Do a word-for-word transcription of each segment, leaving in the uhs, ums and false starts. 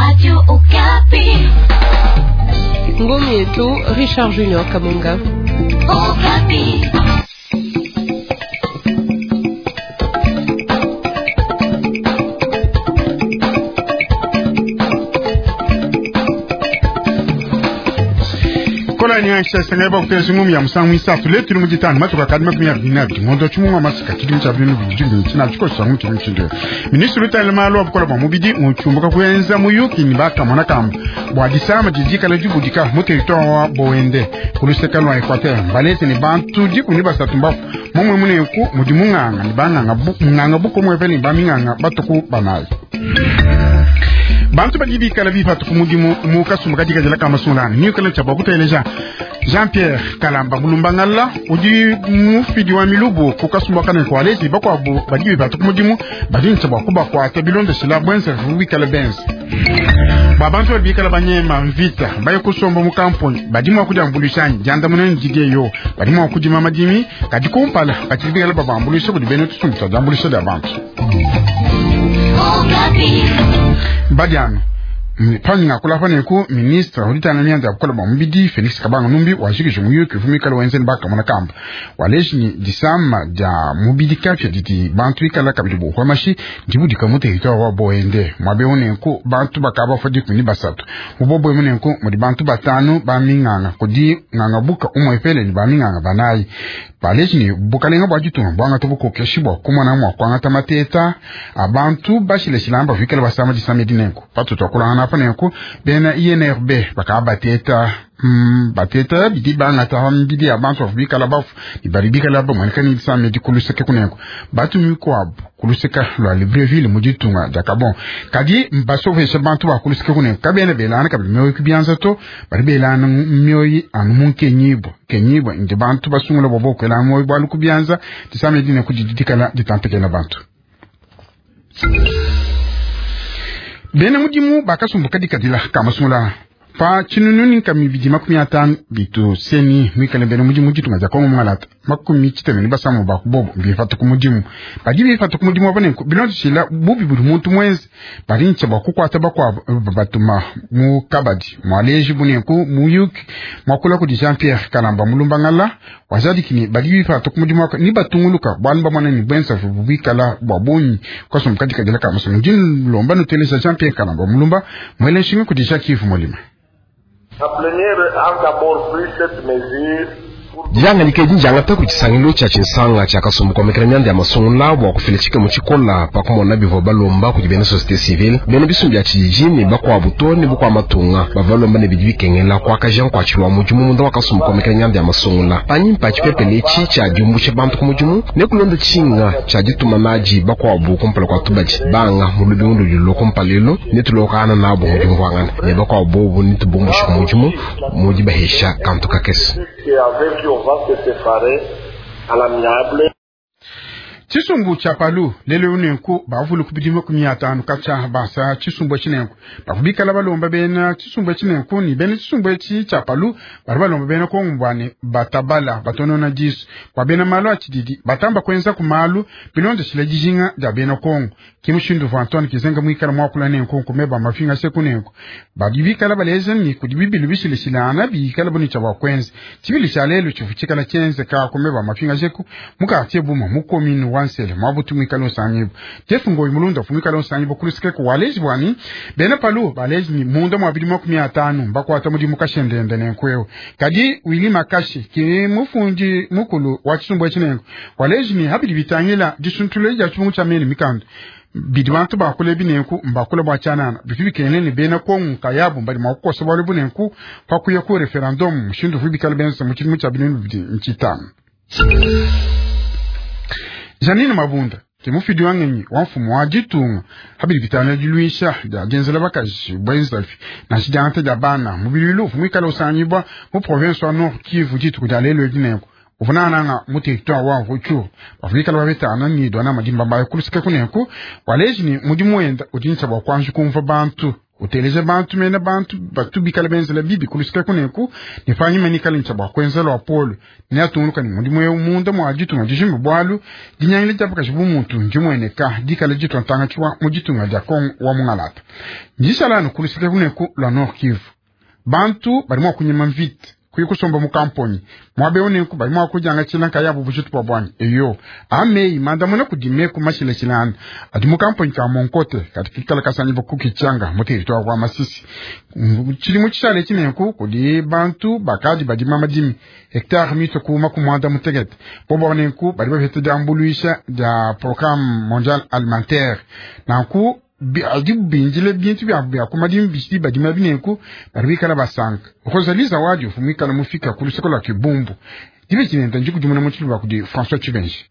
Radio Okapi. Ngome yetu Richard Junior Kamunga. Okapi. Kola nyansha sanga ba kutesa ngumi ya musangu isatu letu mu gitano matuka kadi makumi abiri na abiri ngondo chumwa masika kidi mcha binu bijimbi china chiko sangu chimbi chindo ministru utale malo abukola bwa mubidi muchumbuka kuenza muyuki ni baka mwana kamba bwa disama jijika la jubudika mu territoire wa Boende kuluseka lwa Equateur balete ni bantu diku ni basatu mbafu mumwe muneku mudi munganga ni banganga bu, munganga buko mwepele ni baminganga batuku banayi bantu badi bikala bipatu ku mudimu mu kasumbu kadi kajela ka masulana niukala tshia bua kuteleja Jean Pierre Kalamba Mulumbangala udi mufidi wa milubu ku kasumbu kana ko alezi bakwabu badi bipatu ku mudimu badi ntshia bua kubakuata bilondeshela bwenza bikala benza ba bantu badi bikala banyema mvita baye kusomba mu kampuni badi mua kudiambulishanyi diandamuna ndidiye yo badi mua kudima madimi kadi kumpala batshidi bikala babambulisha kudi bena tusumbu tua diambulisha dia bantu Okapi. Badiano panyinga kulapa neku ministre uditana mianda ya bukola bwa mubidi Felix Kabanga Numbi wajikije muyuki uvumikala wenzeni bakamona kamba waleji ni disama dia mubidi kapya didi bantu ikala kabidi buhwa mashi ndibudika mu territoire wa Boende mwabe unenku bantu bakaba fa dikumi ni basatu mubobwe munenku mudi bantu batanu baminganga kudi nganga buka umwepele ni baminganga banayi baleji ni bukalenga bwa ditunga bwangata bukokeshi bwa kumona mwa kwangata mateta abantu bashileshilamba vikala basama disama dinenku patu twakulangana apa nenku bena I N R B bakaba bateta mm, bateta bidi bangata mbidi abantu bikala bafu ibali bikala bamweneka ni disama dikuluseke kunenku batu mikwabu kuluseka lwa Libreville mu ditunga dia Gabon kadi mbasovesha bantu bakuluseke kunenku kabena belana kabidi mioyo kubianza to bali belana mioyi anu munkenyibwa kenyibwa ndi bantu basungula bobo kwela moyo bwalu kubianza disama dinenku didikala ditantekela bantu bena mudimu bakasumbuka dikadila kamasungula pa tshinunu nkami bidi makumi atanu bitu seni mwikale bena mudimu ditunga dia Kongo mwalata makumi tshiteme ni basamu bakubobo bifata ku mudimu badi bifata ku mudimu abanenku bilondeshila bubi budi muntu mwenze badi ntsha bua kukuata bakuabu batuma mu kabadi mwaleji bunenku muyuki mwakula kudi Jean Pierre Kalamba Mulumbangala wajadikini badi bifata ku mudimu waka ni batunguluka bwalu bamwana ni bwenza bubikala bwa bunyi kwasumbuka dikadila kamasungula ndilomba nuteleza Jean Pierre Kalamba Mulumba mwele nshinga kudi Jacques Molima. La plénière a d'abord pris cette mesure diangalike dinjangata ku tshisangilu tshia tshinsanga tshia kasumbu komekela mianda ya masungula bua kufila tshikemo tshikola pakumona bivua balomba kudi bena société civile bena bisumbu bia tshijiji ne bakuabu to ne bukua matunga bavua balomba ne bidi bikengela kuakaja nkuatshilwa mudimu munda wa kasumbu komekela mianda ya masungula panyima tshipepele etshi tshia diumbusha bantu ku mudimu ne kulonda tshinga tshia dituma nadi bakuabu kumpala kua tubadi banga mu lubingu ludi kumpalelu ne tulokana nabo mu diumvuangana ne bakuabu bobu ne tubumbusha ku mudimu mudi bahesha kantu kakese. Avec qui on va se séparer à l'amiable. Tshisumbu tshia palu lelo unenku bavulu kubidi makumi atanu katshia basa tshisumbu tshinenku bavubikala balomba bena tshisumbu tshinenku ni bena tshisumbu etshi tshia palu bali balomba bena kongo batabala batonona disu bua bena malu a tshididi batamba kuenza ku malu bilondeshile dijinga dia bena Kongo kimushindu vua Antoine Kizenga muikala muakula nenku nkumeba mafinga seku nenku badi bikala baleza ni kudi bibilu bishileshilana bikala buni tshia bua kuenza tshibili tshia lelo tshivu tshikala tshienzeka kumeba mafinga seku mukatie buma mukominu wa nsele mwabutu mwikala osangibo tefu ngoyi mulunda fu mwikala osangibo kulusike ku walezi bwani bena palu balezi ni munda mwabili makumi atanu mbakwata mudimu kashendende nenkweo kadi wili makashi ki mufundi mukulu wa tshisumbu tshinengo walezi ni habili bitangila disuntulo dia tshibungu tshia mene mikando bidi bantu bakule binenku mbakule bwa tshanana bitu bikene ni bena Kongo kayabu mbali mwakukosa bwale bunenku pakuya ku referendum mushindu fu bikala benza mu tshidimu tshia binunu bibidi ntshitanu. Janine Mabunda ke mufidi wa ngenyi wa mfumu wa ditunga habili bitano diluisha dia dienzela bakaji bwenzafi na tshidiangata dia bana mubililu muikala usangibwa mu province wa Nord Kivu dituku dia lelo dinenku uvunananga mu territoire wa Rutshuru bavuikala babetana ni dwana madimba bayo kulusika kunenku waleji ni mudimu wenda udinsa bua kuanji kumva bantu Uteleja bantu mena bantu batu bikala benzela bibi kulusika kuneku ne panyima nikale ntsha bua kuenza lwa polo ne atungunuka ne mudimu eu munda mua ditunga dijima bwalu dinyangile dia bakaji bu muntu ndimueneka dikala ditua ntanga tshiwa mu ditunga dia Kongo wa mungalata. Ndishala kulusika kuneku lwa Nord Kivu bantu bali mua kunyima mvita kuyi kusomba mu kamponyi mwabe unenku bali mua kudyanga tshilanka yabo bujitu bwa bwanyi eyo ameyi mandamuna kudi meku mashilashilana adi mu kamponyi ka Monkote kati kikala kasanyi kukichanga mu territoire wa Masisi. Tshilimu tshishale tshinenku kudi bantu bakadi badima madimi hectare mito ku makumwanda mutekete bobo banenku badi bapeta diambuluisha dia Programme mondial alimentaire nanku adi binjile bintu bya bya kumadimi bishidi badima binenku bari bikala basanka. Rosalie Zawadi ufumikala mufika ku luseko lwa Kibumbu dibe tshinenta njikudimuna mu tshiluba kudi François Tshibenji.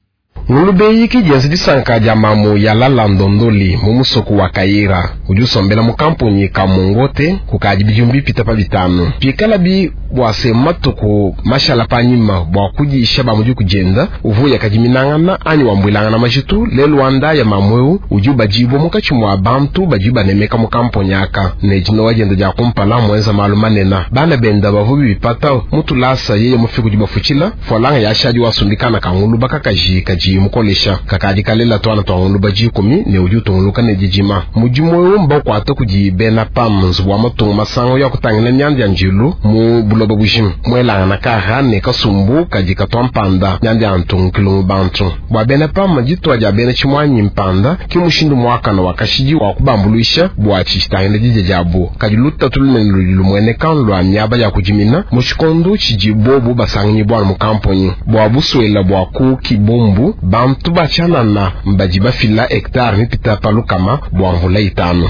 Ngulube yiki dienza disanka dia mamu ya lala ndondoli mu musoko wa Kaira udi usombela mu kamponyi ka Mongote kukadi bidimu bipita pa bitanu pikala bi bua se matuku mashala panyima bua kudisha ba mudi kujenda uvuya kadiminangana anyi wambwilangana majitu lelu wanda ya mamu eu udi ubadibwa mukatshi mua bantu badi banemeka mu kamponyi aka ne dino wajenda dia kumpala muenza malu manena bana benda bavu bipata mutulasa yeye mufi kudi bafutshila folanga yashadi wasumbikana kanguluba kakaji kaji mukolesha kakadi kalela twana twanguluba jikumi ne udi utunguluka ne dijima mudimu eu mbakuata kudi bena PAM nzubu wa matungu masango ya kutangila myanda ya njilu mu buloba bujima mwelangana kara ne kasumbu kadi katwa mpanda myanda ya ntungukilo mu bantu bua bena PAM ditwa dia bena tshimwanyi mpanda ki mushindu muakana wa kashidi wa kubambuluisha bua tshitangila didya diabu kadi lutatu lunene ludi lumueneka lua miaba ya kudimina mu tshikondu tshidi bobu basanganyi bua mu kamponyi bua buswela bua ku Kibumbu bantu bachanana mbadi bafila hectare mipita palukama bua mvula itanu.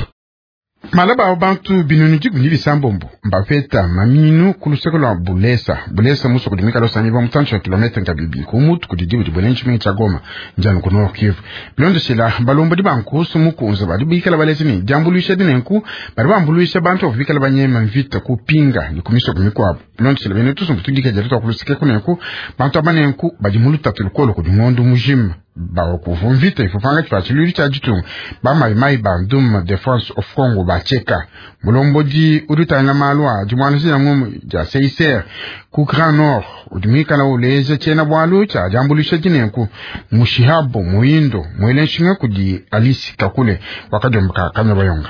Malaba bantu binunu dikumi bisambombo mbapeta maminu ku luseko lwa Bulesa. Bulesa musoko dimika losanyi ba mutancho ya kilometre nkabibi ku mutu kudi dibu di bulenchi mingi cha Goma njanu ku Nord Kivu. Bilondeshela balombo di bankusu mukunza badi bikala balezi ni diambuluisha dinenku badi bambuluisha bantu bikala banyema mvita kupinga ni kumisoko mikwabo. Bilondeshela bene tusumbu tudika jatu ku luseke kunenku bantu abanenku badi mulutatu lukolo ku dingondo mujima bakuvu mvita ifupanga chipachiluli cha jitunga ba mai mai bandum Defense of Congo bacheka mulombodi udutanga malwa jumwana ya ngumu ja C I C R ku Grand Nord udimikala uleje chena bwalu cha jambulisha jinenku mushihabo muindo mwelenshinga kudi Alice Kakule wakajomba kanya bayonga.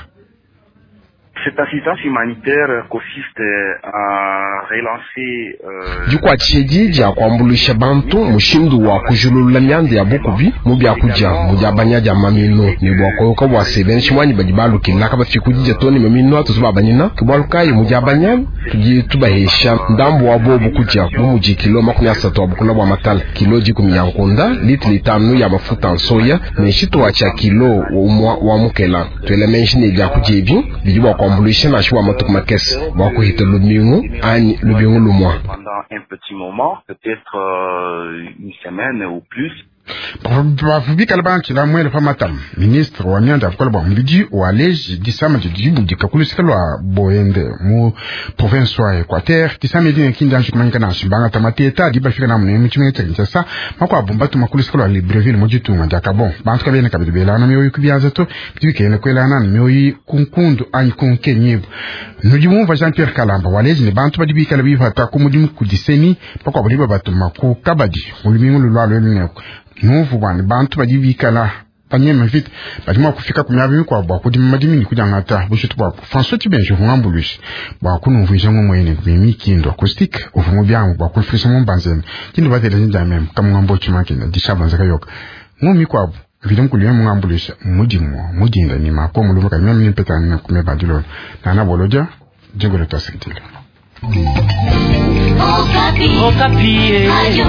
Cette assistance humanitaire consiste à relancer euh, dikuatshidi dia kuambuluisha bantu mushindu wa kujulula myanda ya bukubi mu byakudia mu diabanya dia maminu ne bua koyoka bua se bena tshimwanyi badi balukila kabafika kudidia to ne maminu atutu babanyina ke bualu kayi mu diabanya tudi tubahesha ndambu wa bobu kudia bu mudi kilo makumi asatu wa bukula bua matala kilo dikumi ya nkunda litili itanu ya mafuta nsoya ne tshituwa tshia kilo umua wa mukela tuela menshi ne biakudia ebi bidi bua kuambuluisha nansha bua matuku makese bua kuhita lubingu anyi lubingu lumua. Pendant un petit moment, peut-être euh, une semaine ou plus. Bavubikala banchila mwele pa matamu ministre wa myanda ya bukola bua mubidi waleji disama didi kulusika lwa Boende mu province wa Equateur disama edi nekindi anji kumanyika nashi mbangata mateta adi bafika na munene mu tshimenga tshia Kinshasa makuabu mbatuma kulusika lwa Libreville mu ditunga dia Gabon bantu kabena kabidi belana mioyo kubianza to bidi bikene kwelana na mioyo kunkundu anyi kunkenyibu nudi mumva Jean Pierre Kalamba waleji ne bantu badi bikala bipata ku mudimu kudiseni pakuabu liba batuma ku kabadi mu lumingu lulwa lwelu nuvu bwana bantu badi bikala banyema vita badi mua kufika ku miaba mikuabu bua kudima madimi ne kudiangata bujitu buabu. François Tshibenji uvua bua kunumvuija ngomwene mimikindo acoustique uvua mu biamu bua kunufisha mu mbanzene kindu bateleja dia meme kamungambo tshimakina dishabanza kayoka ngomi mikuabu vile mukulu mungambuluisha mudimu mudinda ni mako mulumba kameme nimpeta kumeba dilolo nana bolodia jingolo tasikitila. Okapi. Okapi. Radio.